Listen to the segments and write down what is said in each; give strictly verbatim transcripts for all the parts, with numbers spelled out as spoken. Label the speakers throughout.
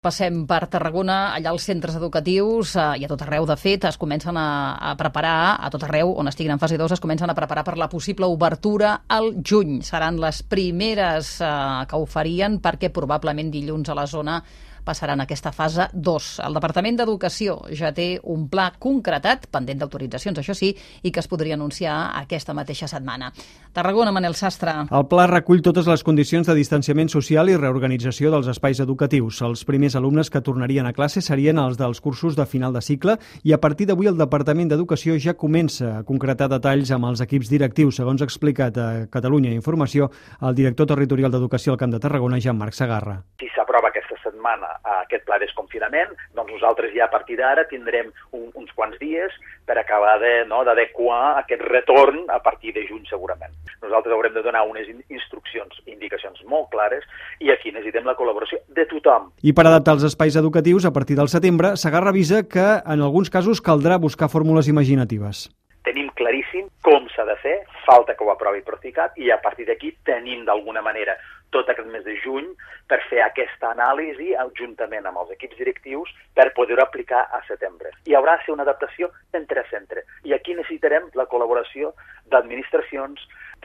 Speaker 1: Passem per Tarragona, allà els centres educatius eh, i a tot arreu, de fet, es comencen a, a preparar, a tot arreu on estiguin en fase dos, es comencen a preparar per la possible obertura al juny. Seran les primeres eh, que ho farien perquè probablement dilluns a la zona passaran a aquesta fase dos. El Departament d'Educació ja té un pla concretat, pendent d'autoritzacions, això sí, i que es podria anunciar aquesta mateixa setmana. Tarragona, Manel Sastre.
Speaker 2: El pla recull totes les condicions de distanciament social i reorganització dels espais educatius. Els primers alumnes que tornarien a classe serien els dels cursos de final de cicle i a partir d'avui el Departament d'Educació ja comença a concretar detalls amb els equips directius, segons ha explicat a Catalunya Informació el director territorial d'Educació al Camp de Tarragona, Jean-Marc Segarra.
Speaker 3: Si s'aprova aquesta setmana aquest pla de desconfinament, doncs nosaltres ja a partir d'ara tindrem un, uns quants dies per acabar de, no, d'adequar aquest retorn a partir de juny segurament. Nosaltres haurem de donar unes instruccions, indicacions molt clares i aquí necessitem la col·laboració de tothom.
Speaker 2: I per adaptar els espais educatius a partir del setembre, Segarra avisa que en alguns casos caldrà buscar fórmules imaginatives.
Speaker 3: Tenim claríssim com s'ha de fer, falta que ho aprovi Procicat i a partir d'aquí tenim d'alguna manera tot aquest mes de juny per fer aquesta anàlisi juntament amb els equips directius per poder-ho aplicar a setembre. I haurà de ser una adaptació centre a centre. I aquí necessitarem la col·laboració d'administracions,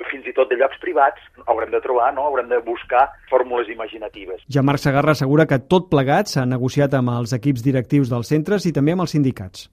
Speaker 3: fins i tot de llocs privats. Haurem de trobar, no? Haurem de buscar fórmules imaginatives.
Speaker 2: Jean-Marc Segarra assegura que tot plegat s'ha negociat amb els equips directius dels centres i també amb els sindicats.